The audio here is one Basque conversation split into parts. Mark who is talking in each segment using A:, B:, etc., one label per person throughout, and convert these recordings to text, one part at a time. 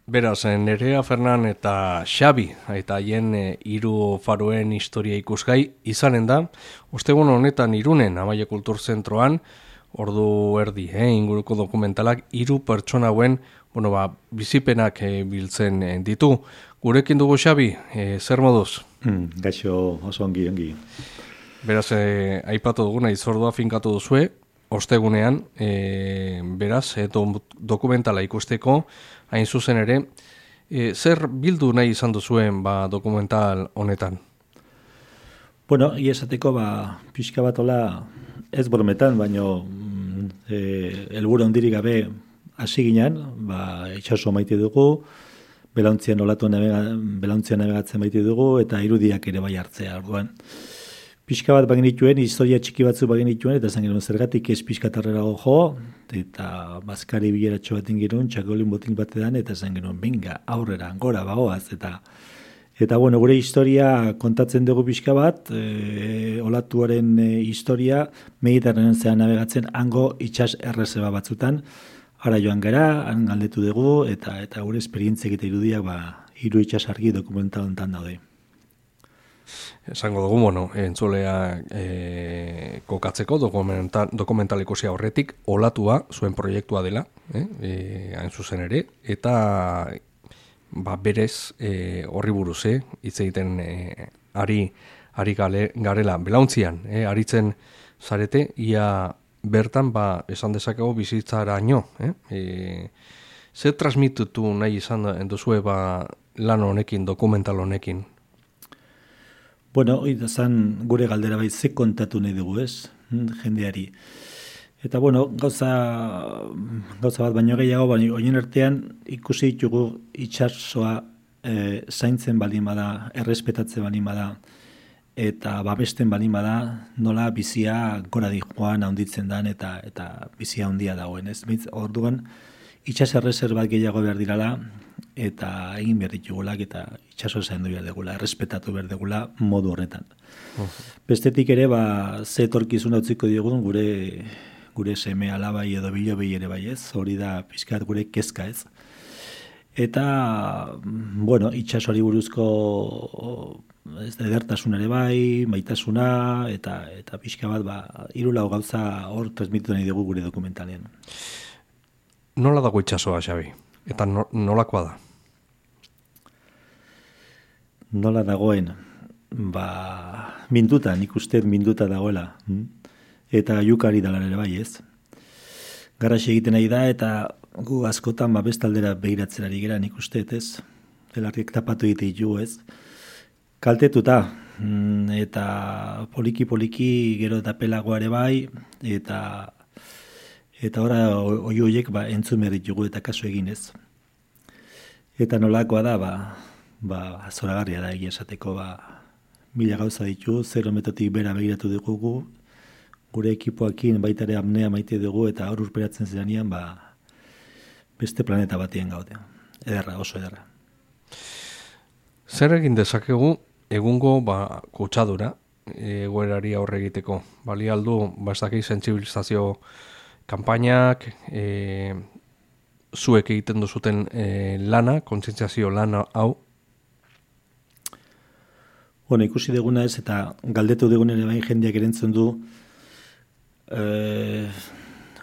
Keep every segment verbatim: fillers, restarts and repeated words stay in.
A: Beraz, Nerea, Fernan eta Xabi, eta haien hiru faroen historia ikusgai izanen da, ostegun honetan Irunen, Amaia Kulturzentroan, ordu erdi, eh, inguruko dokumentalak, hiru pertsona hauen, bueno, ba, bizipenak eh, biltzen eh, ditu. Gurekin dugu Xabi, eh, zer moduz?
B: Hmm, gaixo oso ongi, ongi.
A: Beraz, eh, aipatu duguna, izordua finkatu duzue, ostegunean, eh, beraz, eh, do, dokumentala ikusteko, hain zuzen ere, e, zer bildu nahi izan duzuen ba, dokumental honetan?
B: Bueno, iesateko ba, pixka bat hola, ez brometan, baino e, helburu handirik gabe hasi ginen, ba, itxaso maite dugu, belauntzian olatu navega, belauntzian navegatzen maite dugu, eta irudiak ere bai hartzea, orduan. Pixka bat bagenituen, historia txiki batzu bagenituen, eta zan genuen zergatik ez pixkatarrerago jo, eta bazkari bileratxo bat ingirun, txakolin botin batean, eta zan genuen, binga, aurrera, gora, bagoaz, eta eta bueno, gure historia kontatzen dugu pixka bat, e, olatuaren e, historia, Mediterranean zean navegatzen, hango itxas errezeba batzutan, ara joan gara, han galdetu dugu, eta eta gure esperientziak eta irudiak, ba, hiru itxas argi dokumental honetan daude.
A: Esango dugu, bueno, entzulea e, kokatzeko dokumental, dokumental ikusia horretik, olatua zuen proiektua dela, eh, e, hain zuzen ere, eta ba, berez e, horri buruz, eh, hitz egiten e, ari, ari gale, garela, belauntzian, eh, aritzen zarete, ia bertan, ba, esan dezakegu bizitzaraino, eh, e, zer transmitutu nahi izan duzue ba, lan honekin, dokumental honekin?
B: Bueno, hori da zan gure galdera bai ze kontatu nahi dugu, ez, jendeari. Eta bueno, gauza, gauza bat baino gehiago, baina oien artean ikusi ditugu itxasoa e, zaintzen balin bada, errespetatzen balin bada, eta babesten balin bada, nola bizia gora di joan handitzen dan, eta eta bizia handia dagoen, ez? Orduan, itxas erreserbat gehiago behar dirala, eta egin behar ditugulak, eta itxaso zaindu behar degula, errespetatu behar degula modu horretan. Uh-huh. Bestetik ere, ba, ze etorkizuna utziko diogun gure gure seme alabai edo bilobei ere bai ez, hori da pixkat gure kezka ez. Eta, bueno, itxasoari buruzko ez da edertasun ere bai, maitasuna, eta eta pixka bat, ba, hiru lau gauza hor transmitu nahi dugu gure dokumentalean.
A: Nola dago itxasoa, Xabi? Eta no, nolakoa da?
B: Nola dagoen? Ba, minduta, nik uste minduta dagoela. Eta jukari dala ere bai ez. Garaxe egiten nahi da, eta gu askotan ba, bestaldera behiratzen ari gera nik uste, ez? Belarriek tapatu egite ditugu ez. Kaltetuta, eta poliki-poliki gero eta pelagoa ere bai, eta eta ora oi hoiek ba entzun behar ditugu eta kasu egin ez. Eta nolakoa da, ba, ba zoragarria da egia esateko, ba, mila gauza ditu, zero metotik bera begiratu dugu, gure ekipoakin baita ere apnea maite dugu, eta hor urperatzen zeranean, ba, beste planeta batien gaude. Ederra, oso ederra.
A: Zer egin dezakegu egungo ba, kutsadura egoerari aurre egiteko? Bali aldu, ba, ez dakit sentsibilizazio kanpainak, e, zuek egiten duzuten e, lana, kontzientziazio lana hau?
B: Bueno, ikusi duguna ez, eta galdetu dugunen bain jendeak erentzun du, e,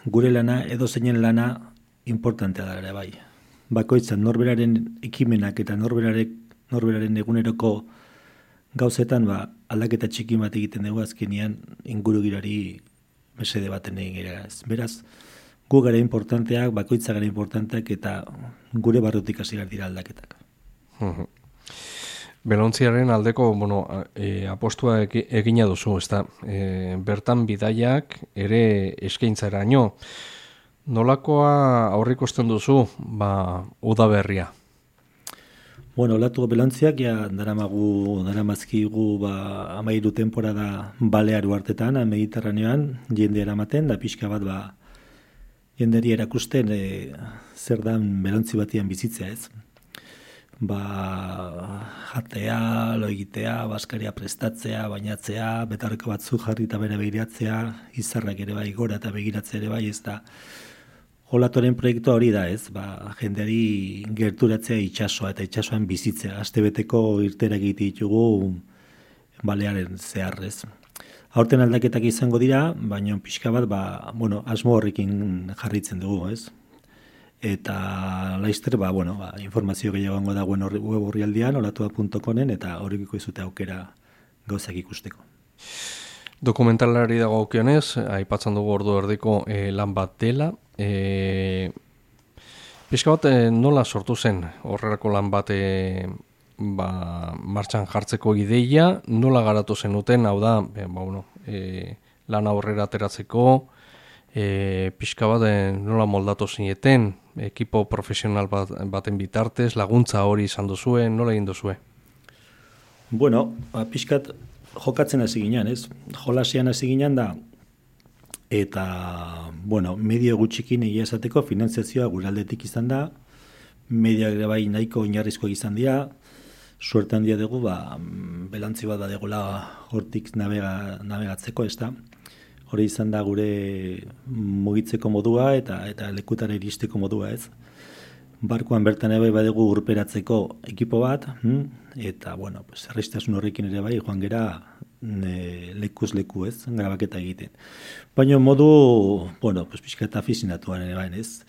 B: gure lana, edo zeinen lana, importantea da ere bai. Bakoitzan norberaren ekimenak eta norberaren, norberaren eguneroko gauzetan, ba, aldaketa txiki bat egiten dugu azkenean ingurugirari mesede baten egin gara ez. Beraz, gu gara importanteak, bakoitza gara importanteak, eta gure barrutik hasi behar dira aldaketak.
A: Uh-huh. Belontziaren aldeko, bueno, e, apostua egina duzu, ezta? E, bertan bidaiak ere eskaintzaraino. Nolakoa aurrikusten duzu, ba, udaberria?
B: Bueno, olatu belontziak, ja, daramagu, daramazkigu, ba, amairu temporada balearu hartetan, Mediterranean, jende eramaten, da pixka bat, ba, jenderi erakusten, e, zer dan belontzi batian bizitzea ez. Ba, jatea, lo egitea, baskaria prestatzea, bainatzea, betarreko batzu jarri eta bere begiratzea, izarrak ere bai gora eta begiratzea ere bai, ez da, Olatuaren proiektua hori da, ez? Ba, jendeari gerturatzea itsasoa eta itsasoan bizitzea. Astebeteko irteerak egite ditugu balearen zehar, ez? Aurten aldaketak izango dira, baina pixka bat, ba, bueno, asmo horrekin jarritzen dugu, ez? Eta laizter, ba, bueno, ba, informazio gehiago da web orrialdean, olatua puntu comen, eta horrekiko izute aukera gauzak ikusteko.
A: Dokumentalari dago aukionez, aipatzen dugu ordu erdiko e, lan bat dela. E, pixka bat, e, nola sortu zen horrelako lan bat e, ba, martxan jartzeko ideia, nola garatu zenuten, hau da, e, ba, bueno, e, lan aurrera ateratzeko, e, pixka bat, e, nola moldatu zineten, ekipo profesional bat, baten bitartez, laguntza hori izan duzuen, nola egin duzue?
B: Bueno, ba, pixkat jokatzen hasi ginean, ez? Jolasian hasi ginean da, eta, bueno, medio gutxikin egia esateko finanziazioa gure aldetik izan da, media ere bai nahiko oinarrizkoak izan dira, suerte handia dugu, ba, belantzi bat badegula hortik navega, navegatzeko, ez da? Hori izan da gure mugitzeko modua eta eta lekutara iristeko modua, ez? Barkoan bertan ere bai badugu urperatzeko ekipo bat, hm? Eta, bueno, pues, erreztasun horrekin ere bai, joan gera ne, lekuz leku, ez? Grabaketa egiten. Baina modu, bueno, pues, pixka eta afizinatuan ere bai, ez?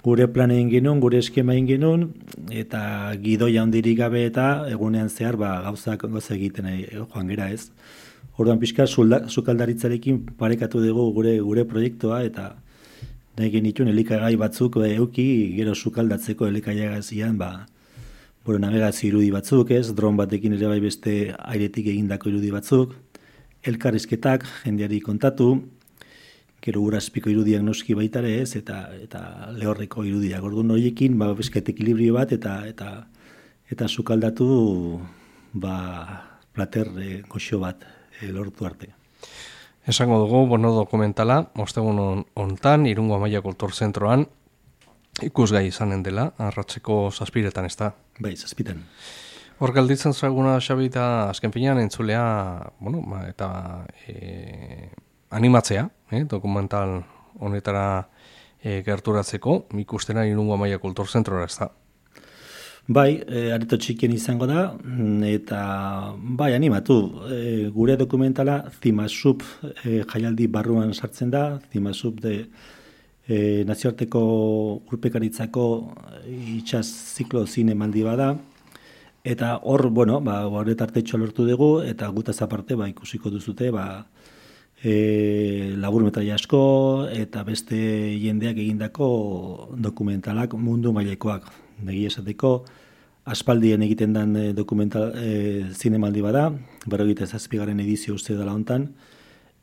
B: Gure plan egin genuen, gure eskema egin genuen, eta gidoia handirik gabe eta egunean zehar ba, gauzak gauza egiten joan gera, ez? Orduan pixka sukaldaritzarekin parekatu dugu gure gure proiektua eta nahi genituen elikagai batzuk euki gero sukaldatzeko elikagaiazian ba bueno, navegazio irudi batzuk, ez? Dron batekin ere bai beste airetik egindako irudi batzuk, elkarrizketak jendeari kontatu, gero urazpiko irudiak noski baita ere, ez? Eta eta lehorreko irudiak. Orduan horiekin ba bizkat ekilibrio bat eta eta eta sukaldatu ba plater e, goxo bat e, lortu arte.
A: Esango dugu, bono dokumentala, ostegun hontan, Irungo Amaia Kultur Zentroan, ikusgai izanen dela, arratseko zazpiretan, ez da?
B: Bai, zazpitan.
A: Hor galditzen zaguna, Xabi, eta azken finean entzulea, bueno, eta e, animatzea, eh, dokumental honetara e, gerturatzeko, ikustena Irungo Amaia Kultur Zentrora, ez da?
B: Bai, e, areto txikien izango da, eta bai, animatu, e, gure dokumentala Zimasup e, jaialdi barruan sartzen da, Zimasup de e, nazioarteko urpekaritzako itxas ziklo zinemaldi bada, eta hor, bueno, ba, horretartetxo lortu dugu, eta gutaz aparte, ba, ikusiko duzute, ba, e, laburmetraia asko, eta beste jendeak egindako dokumentalak mundu mailekoak. Negi esateko, aspaldien egiten den e, dokumental e, zinemaldi bada, berrogeita zazpigarren edizio uste dela hontan,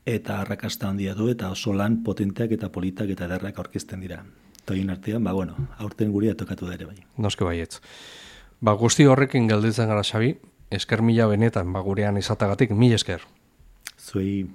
B: eta arrakasta handia du, eta oso lan potenteak eta politak eta ederrak aurkezten dira. Eta hien artean, ba, bueno, aurten guria tokatu da ere bai.
A: Noske baietz. Ba, guzti horrekin galditzen gara, Xabi, esker mila benetan, ba, gurean izatagatik, mila esker.
B: Zuei